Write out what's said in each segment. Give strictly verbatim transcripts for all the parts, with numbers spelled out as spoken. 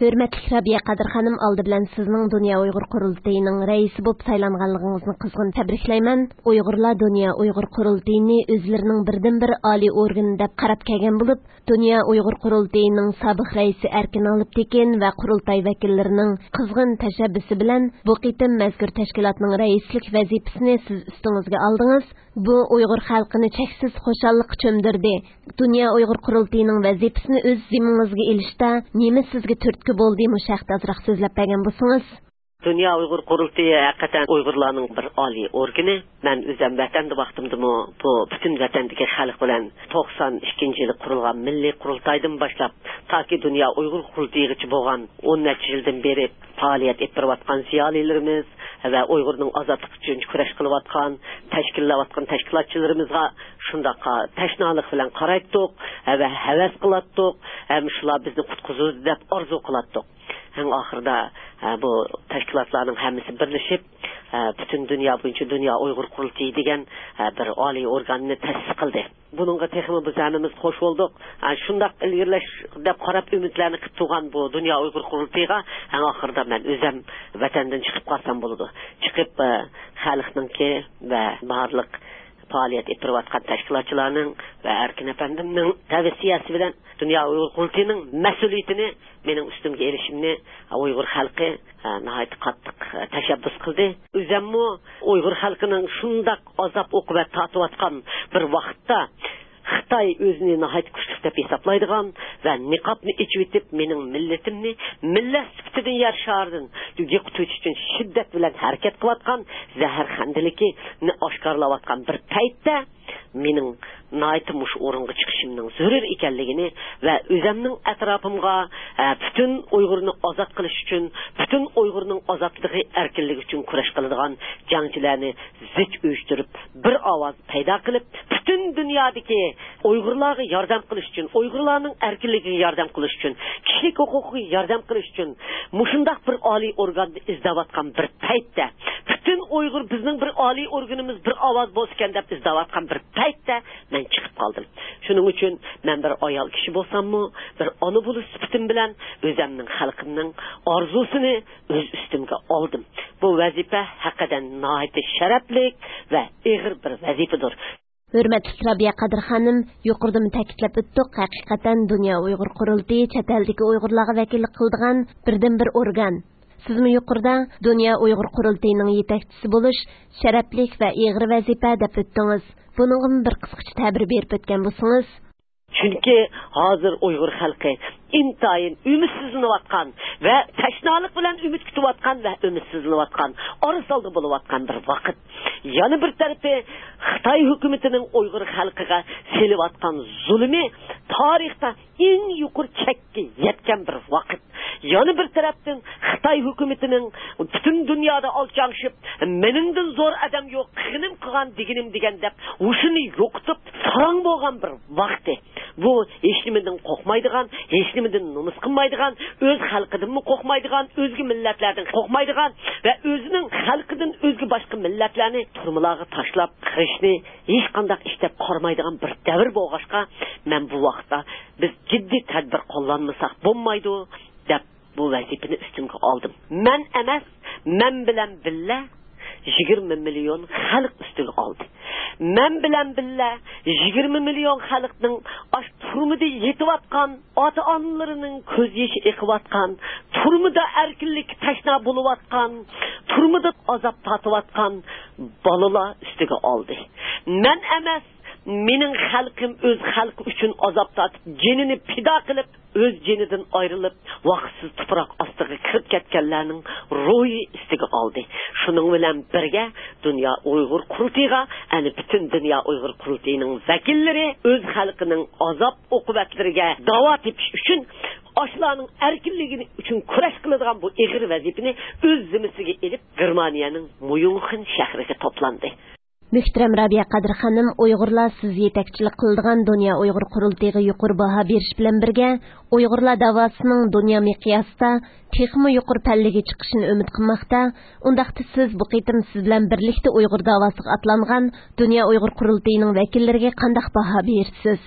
ھۆرمەتلىك رابىيە قادىر خانىم، ئالدى بىلەن سىزنىڭ دۇنيا ئۇيغۇر قۇرۇلتىيىنىڭ رەئىسى بولۇپ سايلانغانلىقىڭىزنى قىزغىن تەبرىكلەيمەن. ئۇيغۇرلار دۇنيا ئۇيغۇر قۇرۇلتىيىنى ئۆزلىرىنىڭ بىردىنبىر ئالىي ئورگىنى دەپ قاراپ كەلگەن بولۇپ، دۇنيا ئۇيغۇر قۇرۇلتىيىنىڭ سابىق رەئىسى ئەركىن ئالپتېكىن ۋە قۇرۇلتاي ۋەكىللىرىنىڭ قىزغىن تەشەببۇسى بىلەن بۇ قېتىم مەزكۇر تەشكىلاتنىڭ رەئىسلىك ۋەزىپىسىنى سىز ئۈستىڭىزگە ئالدىڭىز. بۇ ئۇيغۇر خەلقىنى چەكسىز خۇشاللىققا چۆمدۈردى. دۇنيا ئۇيغۇر قۇرۇلتىيىنىڭ ۋەزىپىسىنى ئۆز زىممىڭىزگە ئېلىشتا نېمە سىزگە تۈرتكە بولدى؟ مۇشۇ ھەقتە ئازراق سۆزلەپ بەرگەن بولسىڭىز. دۇنيا ئۇيغۇر قۇرۇلتىيى ھەقىقەتەن ئۇيغۇرلارنىڭ بىر ئالىي ئورگىنى. مەن ئۆزۈم ۋەتەندە ۋاقتىمدىمۇ بۇ پۈتۈن ۋەتەندىكى خەلق بىلەن توقسان ئىككىنچى يىلى قۇرۇلغان مىللىي قۇرۇلتايدىن باشلاپ، تاكى دۇنيا ئۇيغۇر قۇرۇلتىيىغىچە بولغان ئون نەچچە يىلدىن بېرى پائالىيەت ئېلىپ بېرىۋاتقان زىيالىيلىرىمىز ۋە ئۇيغۇرنىڭ ئازادلىقى ئۈچۈن كۈرەش قىلىۋاتقان، تەشكىللەۋاتقان تەشكىلاتچىلىرىمىزغا شۇنداققا تەشنالىق بىلەن قارايتتۇق ۋە ھەۋەس قىلاتتۇق ھەم شۇلار بىزنى قۇتقۇزىدۇ دەپ ئارزۇ قىلاتتۇق. ئەڭ ئاخىرىدا، ئە، بۇ تەشكىلاتلارنىڭ ھەممىسى بىرلىشىپ، ئە، پۈتۈن دۇنيا بويىچە دۇنيا ئۇيغۇر قۇرۇلتىيى دېگەن، ئە، بىر ئالىي ئورگاننى تەسىس قىلدى. بۇنىڭغا تېخىمۇ بىز ھەممىمىز خوش بولدۇق. ئە، شۇنداق ئىلگىرىلەش دەپ قاراپ ئۈمىدلەرنى قىلىپ تۇرغان بۇ دۇنيا ئۇيغۇر قۇرۇلتىيىغا ئەڭ ئاخىرىدا مەن ئۆزەم ۋەتەندىن چىقىپ قالسام بولىدۇ. چىقىپ، ئە، خەلقنىڭكى ۋە بارلىق پائالىيەت ئېلىپ بېرىۋاتقان تەشكىلاتچىلارنىڭ ۋە ئەركىن ئەپەندىمنىڭ تەۋسىيەسى بىلەن دۇنيا ئۇيغۇر قۇرۇلتىيىنىڭ مەسئۇلىيىتىنى مېنىڭ ئۈستۈمگە ئېلىشىمنى ئۇيغۇر خەلقى، ئە، ناھايىتى قاتتىق، ئە، تەشەببۇس قىلدى. ئۆزەممۇ ئۇيغۇر خەلقىنىڭ شۇنداق ئازاب-ئوقۇبەت تارتىۋاتقان بىر ۋاقىتتا، خىتاي ئۆزىنى ناھايىتى كۈچلۈك دەپ ھېسابلايدىغان ۋە نىقابنى ئېچىۋېتىپ، مېنىڭ مىللىتىمنى مىللەت سۈپىتىدىن يەر شارىدىن يوقىتىش ئۈچۈن شىددەت بىلەن ھەرىكەت قىلىۋاتقان زەھەرخەندىلىكىنى ئاشكارىلاۋاتقان بىر پەيتتە، مېنىڭ ناھايىتى مۇشۇ ئورۇنغا چىقىشىمنىڭ زۆرۈر ئىكەنلىكىنى ۋە ئۆزەمنىڭ ئەتراپىمغا، ئە، پۈتۈن ئۇيغۇرنى ئازاد قىلىش ئۈچۈن، پۈتۈن ئۇيغۇرنىڭ ئازادلىقى، ئەركىنلىكى ئۈچۈن كۈرەش قىلىدىغان جەڭچىلەرنى زىچ ئۇيۇشتۇرۇپ، بىر ئاۋاز پەيدا قىلىپ، پۈتۈن دۇنيادىكى ئۇيغۇرلارغا ياردەم قىلىش ئۈچۈن، ئۇيغۇرلارنىڭ ئەركىنلىكىگە ياردەم قىلىش ئۈچۈن، كىشىلىك ھوقۇقىغا ياردەم قىلىش ئۈچۈن مۇشۇنداق بىر ئالىي ئورگاننى ئىزدەۋاتقان بىر پەيتتە، پۈتۈن ئۇيغۇر بىزنىڭ بىر ئالىي ئورگىنىمىز، بىر ئاۋاز بولسىكەن دەپ ئىزدەۋاتقان بىر پەيتتە مەن چىقىپ قالدىم. شۇنىڭ ئۈچۈن مەن بىر ئايال كىشى بولساممۇ، بىر ئانا بولۇش سۈپىتىم بىلەن ئۆزەمنىڭ خەلقىمنىڭ ئارزۇسىنى ئۆز ئۈستۈمگە ئالدىم. بۇ ۋەزىپە ھەقىقەتەن ناھايىتى شەرەپلىك ۋە ئېغىر بىر ۋەزىپىدۇر. ھۆرمەتلىك رابىيە قادىر خانىم، يۇقىرىدىمۇ تەكىتلەپ ئۆتتۇق، ھەقىقەتەن دۇنيا ئۇيغۇر قۇرۇلتىيى چەت ئەلدىكى ئۇيغۇرلارغا ۋەكىللىك قىلىدىغان بىردىنبىر ئورگان. سىزمۇ يۇقىرىدا دۇنيا ئۇيغۇر قۇرۇلتىيىنىڭ يېتەكچىسى بولۇش شەرەپلىك ۋە ئېغىر ۋەزىپە دەپ ئۆتتىڭىز. بۇنىڭغىمۇ بىر قىسقىچە تەبىر بېرىپ ئۆتكەن بولسىڭىز. چۈنكى ھازىر ئۇيغۇر خەلقى ئىنتايىن ئۈمىدسىزلىنىۋاتقان ۋە تەشنالىق بىلەن ئۈمىد كۈتۈۋاتقان ۋە ئۈمىدسىزلىنىۋاتقان، ئارىسالدا بولۇۋاتقان بىر ۋاقىت. يەنە بىر تەرىپى، خىتاي ھۆكۈمىتىنىڭ ئۇيغۇر خەلقىگە سېلىۋاتقان زۇلۇمى تارىختا ئەڭ يۇقىرى چەككە يەتكەن بىر ۋاقىت. يەنە بىر تەرەپتىن، خىتاي ھۆكۈمىتىنىڭ پۈتۈن دۇنيادا ئالچاڭشىپ، مېنىڭدىن زور ئادەم يوق، قىلغىنىم قىلغان، دېگىنىم دېگەن دەپ، ھوشىنى يوقىتىپ، ساراڭ بولغان بىر ۋاقتى. بۇ ھېچنېمىدىن قورقمايدىغان، ھېچنېمىدىن نومۇس قىلمايدىغان، ئۆز خەلقىدىنمۇ قورقمايدىغان، ئۆزگە مىللەتلەردىن قورقمايدىغان ۋە ئۆزىنىڭ خەلقىدىن ئۆزگە باشقا مىللەتلەرنى تۈرمىلەرگە تاشلاپ قىلىشنى ھېچقانداق ئىش دەپ قارىمايدىغان بىر دەۋر بولغاچقا، مەن بۇ ۋاقىتتا بىز جىددىي تەدبىر قوللانمىساق بولمايدۇ، دەپ بۇ ۋەزىپىنى ئۈستۈمگە ئالدىم. مەن ئەمەس، مەن بىلەن بىللە يىگىرمە مىليون خەلق ئۈستىگە ئالدى. مەن بىلەن بىللە يىگىرمە مىليون خەلقنىڭ ئاش تۈرمىدە يېتىۋاتقان، ئاتا-ئانىلىرىنىڭ كۆز يېشى ئېقىۋاتقان، تۈرمىدە ئەركىنلىككە تەشنا بولۇۋاتقان، تۈرمىدە ئازاب تارتىۋاتقان بالىلار ئۈستىگە ئالدى. مەن ئەمەس، مېنىڭ خەلقىم ئۆز خەلقى ئۈچۈن ئازاب تارتىپ، جېنىنى پىدا قىلىپ، ئۆز جېنىدىن ئايرىلىپ، ۋاقىتسىز تۇپراق ئاستىغا كىرىپ كەتكەنلەرنىڭ روھى ئۈستىگە ئالدى. شۇنىڭ بىلەن بىرگە، دۇنيا ئۇيغۇر قۇرۇلتىيىغا، يەنى پۈتۈن دۇنيا ئۇيغۇر قۇرۇلتىيىنىڭ ۋەكىللىرى ئۆز خەلقىنىڭ ئازاب-ئوقۇبەتلىرىگە داۋا تېپىش ئۈچۈن، ئاشۇلارنىڭ ئەركىنلىكى ئۈچۈن كۈرەش قىلىدىغان بۇ ئېغىر ۋەزىپىنى ئۆز زىممىسىگە ئېلىپ، گېرمانىيەنىڭ ميۇنخېن شەھىرىگە توپلاندى. مۆھتەرەم رابىيە قادىر خانىم، ئۇيغۇرلار سىز يېتەكچىلىك قىلىدىغان دۇنيا ئۇيغۇر قۇرۇلتىيىغا يۇقىرى باھا بېرىش بىلەن بىرگە، ئۇيغۇرلار داۋاسىنىڭ دۇنيا مىقياسىدا تېخىمۇ يۇقىرى پەللىگە چىقىشىنى ئۈمىد قىلماقتا. ئۇنداقتا سىز بۇ قېتىم سىز بىلەن بىرلىكتە ئۇيغۇر داۋاسىغا ئاتلانغان دۇنيا ئۇيغۇر قۇرۇلتىيىنىڭ ۋەكىللىرىگە قانداق باھا بېرىسىز؟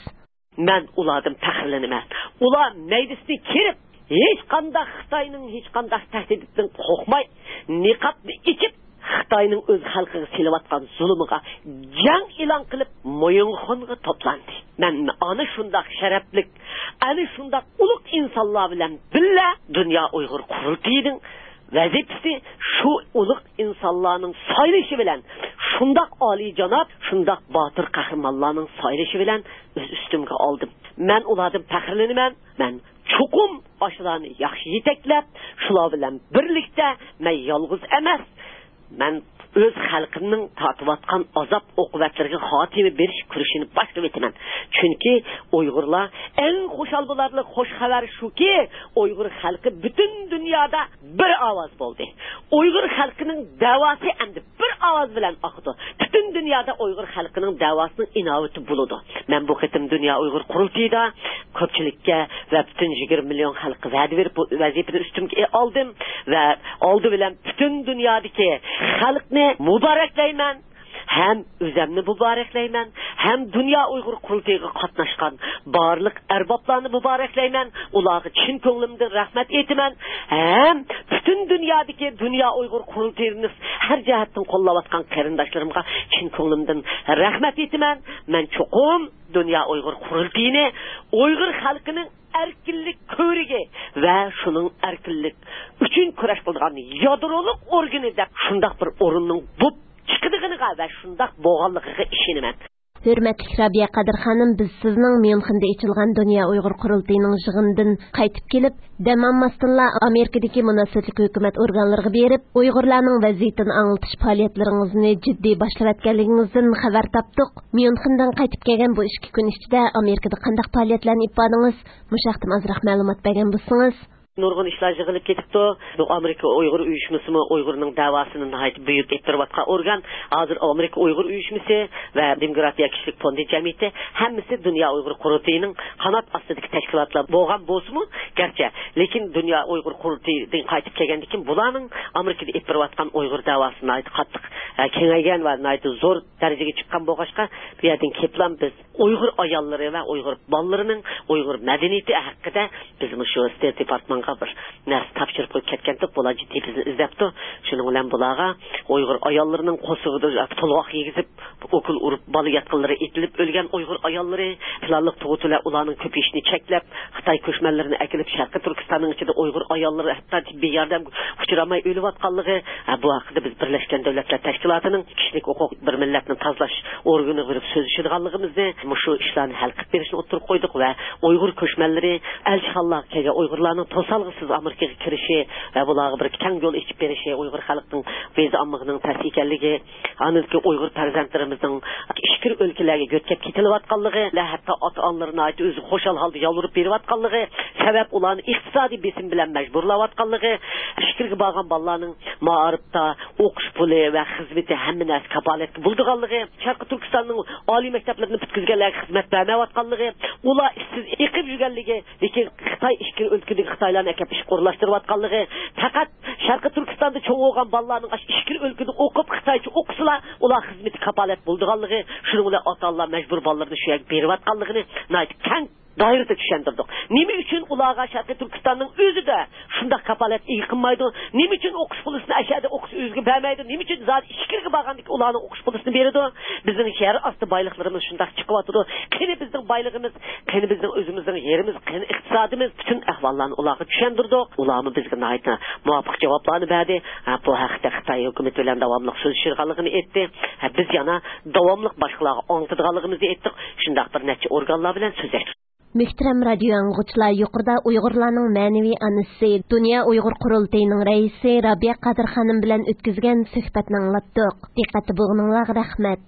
مەن ئۇلاردىن پەخىرلىنىمەن. ئۇلار مەيدىسىنى كېرىپ، ھېچ قانداق خىتاينىڭ ھېچقانداق تەھدىتىدىن قورقماي، نىقابنى ئېچىپ، خىتاينىڭ ئۆز خەلقىگە سېلىۋاتقان زۇلۇمىغا جەڭ ئېلان قىلىپ، مويۇنخۇنغا توپلاندى. مەن ئەنە شۇنداق شەرەپلىك، ئەنە شۇنداق ئۇلۇغ ئىنسانلار بىلەن بىللە دۇنيا ئۇيغۇر قۇرۇلتىيىنىڭ ۋەزىپىسى شۇ ئۇلۇغ ئىنسانلارنىڭ سايلىشى بىلەن، شۇنداق ئالىيجاناب، شۇنداق باتۇر قەھرىمانلارنىڭ سايلىشى بىلەن ئۆز ئۈستۈمگە ئالدىم. مەن ئۇلاردىن پەخىرلىنىمەن. مەن چوقۇم ئاشۇلارنى ياخشى يېتەكلەپ، شۇلار بىلەن بىرلىكتە مەن يالغۇز ئەمەس، مەن ئۆز خەلقىمنىڭ تارتىۋاتقان ئازاب ئوقۇبەتلىرىگە خاتىمە بېرىش كۈرىشىنى باشلىۋېتىمەن. چۈنكى ئۇيغۇرلار ئەڭ خۇشال بولارلىق خوش خەۋەر شۇكى، ئۇيغۇر خەلقى پۈتۈن دۇنيادا بىر ئاۋاز بولدى. ئۇيغۇر خەلقىنىڭ دەۋاسى ئەمدى بىر ئاۋاز بىلەن ئاقىدۇ. پۈتۈن دۇنيادا ئۇيغۇر خەلقىنىڭ دەۋاسىنىڭ ئىناۋىتى بولىدۇ. مەن بۇ قېتىم دۇنيا ئۇيغۇر قۇرۇلتىيىدا كۆپچىلىككە ۋە پۈتۈن يىگىرمە مىليون خەلققە ۋەدە بېرىپ، بۇ ۋەزىپىنى ئۈستۈمگە ئالدىم ۋە ئالدى بىلەن پۈتۈن دۇنيادىكى خەلقنى مۇبارەكلەيمەن. ھەم ئۆزەمنى مۇبارەكلەيمەن، ھەم دۇنيا ئۇيغۇر قۇرۇلتىيىغا قاتناشقان بارلىق ئەربابلارنى مۇبارەكلەيمەن. ئۇلارغا چىن كۆڭلۈمدىن رەھمەت ئېيتىمەن. ھەم پۈتۈن دۇنيادىكى دۇنيا ئۇيغۇر قۇرۇلتىيىنى ھەر جەھەتتىن قوللاۋاتقان قېرىنداشلىرىمغا چىن كۆڭلۈمدىن رەھمەت ئېيتىمەن. مەن چوقۇم دۇنيا ئۇيغۇر قۇرۇلتىيىنى ئۇيغۇر خەلقىنىڭ ئەركىنلىك كۆۋرۈكى ۋە شۇنىڭ ئەركىنلىك ئۈچۈن كۈرەش قىلىدىغان يادرولۇق ئورگىنى دەپ شۇنداق بىر ئورۇننىڭ بولۇپ چىقىدىغىنىغا ۋە شۇنداق بولغانلىقىغا ئىشىنىمەن. ھۆرمەتلىك رابىيە قادىر خانىم، بىز سىزنىڭ ميۇنخېندا ئېچىلغان دۇنيا ئۇيغۇر قۇرۇلتىيىنىڭ يىغىنىدىن قايتىپ كېلىپ، دەم ئالماستىنلا ئامېرىكىدىكى مۇناسىۋەتلىك ھۆكۈمەت ئورگانلىرىغا بېرىپ، ئۇيغۇرلارنىڭ ۋەزىيىتىنى ئاڭلىتىش پائالىيەتلىرىڭىزنى جىددىي باشلىۋەتكەنلىكىڭىزدىن خەۋەر تاپتۇق. ميۇنخېندىن قايتىپ كەلگەن بۇ ئىككى كۈن ئىچىدە ئامېرىكىدا قانداق پائالىيەتلەرنى ئېلىپ باردىڭىز؟ مۇشۇ ھەقتىمۇ ئازراق مەلۇمات بەرگەن بولسىڭىز. نۇرغۇن ئىشلار يىغىلىپ كېتىپتۇ. بۇ ئامېرىكا ئۇيغۇر ئۇيۇشمىسىمۇ ئۇيغۇرنىڭ دەۋاسىنى ناھايىتى بۈيۈك ئېلىپ بېرىۋاتقان ئورگان. ھازىر ئامېرىكا ئۇيغۇر ئۇيۇشمىسى ۋە دېموكراتىيە كىشىلىك فوندى جەمئىيىتى ھەممىسى دۇنيا ئۇيغۇر قۇرۇلتىيىنىڭ قانات ئاستىدىكى تەشكىلاتلار بولغان بولسىمۇ، گەرچە، لېكىن دۇنيا ئۇيغۇر قۇرۇلتىيىدىن قايتىپ كەلگەندىن كېيىن بۇلارنىڭ ئامېرىكىدا ئېلىپ بېرىۋاتقان ئۇيغۇر دەۋاسى ناھايىتى قاتتىق، ئە، كېڭەيگەن ۋە ناھايىتى زور دەرىجىگە چىققان بولغاچقا، بۇ يەردىن كېلىپلا بىز ئۇيغۇر ئاياللىرى ۋە ئۇيغۇر بالىلىرىنىڭ ئۇيغۇر مەدەنىيىتى ھەققىدە بىز مۇشۇ ستېيت دېپارتمانغا بىر نەرسە تاپشۇرۇپ قويۇپ كەتكەنتۇق. بۇلار جىددىي بىزنى ئىزدەپتۇ. شۇنىڭ بىلەن بۇلارغا ئۇيغۇر ئاياللىرىنىڭ قورسىقىدا تولغاق يېگۈزۈپ، ئوكۇل ئۇرۇپ، بالا ياتقانلىرى ئېتىلىپ ئۆلگەن ئۇيغۇر ئاياللىرى، پىلانلىق تۇغۇت بىلەن ئۇلارنىڭ كۆپىيىشىنى چەكلەپ، خىتاي كۆچمەنلىرىنى ئەكېلىپ، شەرقىي تۈركىستاننىڭ ئىچىدە ئۇيغۇر ئاياللىرى ھەتتا تېببىي ياردەمگە ئۇچرىماي ئۆلۈۋاتقانلىقى، ھە، بۇ ھەققىدە بىز بىرلەشكەن دۆلەتلەر تەشكىلاتىنىڭ كىشىلىك ھوقۇق، بىر مىللەتنى تازىلاش ئورگىنىغا بېرىپ سۆزلىشىدىغانلىقىمىزنى، مۇشۇ ئىشلارنى ھەل قىلىپ بېرىشنى ئوتتۇرىغا قويدۇق ۋە ئۇيغۇر كۆچمەنلىرى ئەلچىخانىلارغا كەلگەن ئۇيغۇرلارنىڭ توسالغۇسىز ئامېرىكىغا كىرىشى ۋە بۇلارغا بىر كەڭ يول ئېچىپ بېرىشى، ئۇيغۇر خەلقىنىڭ ۋىزا ئالمىغىنىنىڭ تەس ئىكەنلىكى، ئاندىن كېيىن ئۇيغۇر پەرزەنتلىرىمىزنىڭ ئىچكىرى ئۆلكىلەرگە يۆتكەپ كېتىلىۋاتقانلىقى ۋە ھەتتا ئاتا-ئانىلىرى ناھايىتى ئۆزى خۇشال ھالدا يالۋۇرۇپ بېرىۋاتقانلىقى، سەۋەب ئۇلارنى ئىقتىسادىي بېسىم بىلەن مەجبۇرلاۋاتقانلىقى، ئىچكىرىگە بارغان بالىلارنىڭ مائارىپتا ئوقۇش پۇلى ۋە خىزمىتى ھەممە نەرسە كاپالەتكە بولىدىغانلىقى، شەرقىي تۈركىستاننىڭ ئالىي مەكتەپلىرىنى پۈتكۈزگەنلەرگە خىزمەت بەرمەيۋاتقانلىقى، ئۇلار ئىشسىز ئېقىپ يۈرگەنلىكى، لېكىن خىتاي ئىچكىرى ئۆلكىدىكى خىتايلارنى ئەكەپ ئىشقا ئورۇنلاشتۇرۇۋاتقانلىقى، پەقەت شەرقىي تۈركىستاندا چوڭ بولغان بالىلارنىڭ ئاشۇ ئىچكىرى ئۆلكىدە ئوقۇپ، خىتايچە ئوقۇسىلا، ئۇلار خىزمىتى كاپالەت بولىدىغانلىقى، شۇنىڭ بىلەن ئاتا-ئانىلار مەجبۇر بالىلىرىنى شۇ يەرگە بېرىۋاتقانلىقىنى ناھايىتى كەڭ دائىرىدە چۈشەندۈردۇق. نېمە ئۈچۈن ئۇلارغا شەرقىي تۈركىستاننىڭ ئۆزىدە شۇنداق كاپالەت ئىگە قىلمايدۇ؟ نېمە ئۈچۈن ئوقۇش پۇلىسىنى ئەشەدە ئوقۇسا ئۆزىگە بەرمەيدۇ؟ نېمە ئۈچۈن زادى ئىچكىرىگە بارغاندىكىن ئۇلارنىڭ ئوقۇش پۇلىسىنى بېرىدۇ؟ بىزنىڭ يەر ئاستى بايلىقلىرىمىز شۇنداق چىقىۋاتىدۇ. قېنى بىزنىڭ بايلىقىمىز، قېنى بىزنىڭ ئۆزىمىزنىڭ يېرىمىز، قېنى ئىقتىسادىمىز؟ پۈتۈن ئەھۋاللارنى ئۇلارغا چۈشەندۈردۇق. ئۇلارمۇ بىزگە ناھايىتى مۇۋاپىق جاۋابلارنى بەردى. ھە، بۇ ھەقتە خىتاي ھۆكۈمىتى بىلەن داۋاملىق سۆزلىشىدىغانلىقىنى ئېيتتى. ھە، بىز يەنە داۋاملىق باشقىلارغا ئاڭلىتىدىغانلىقىمىزنى ئېيتتۇق. شۇنداق بىر نەچچە ئورگانلار بىلەن سۆزلەشتۇق. مۆھتەرەم رادىيو ئاڭلىغۇچىلار، يۇقىرىدا ئۇيغۇرلارنىڭ مەنىۋى ئانىسى، دۇنيا ئۇيغۇر قۇرۇلتىيىنىڭ رەئىسى رابىيە قادىر خانىم بىلەن ئۆتكۈزگەن سۆھبەتنى ئاڭلاتتۇق. دىققەتتە بولغىنىڭلارغا رەھمەت.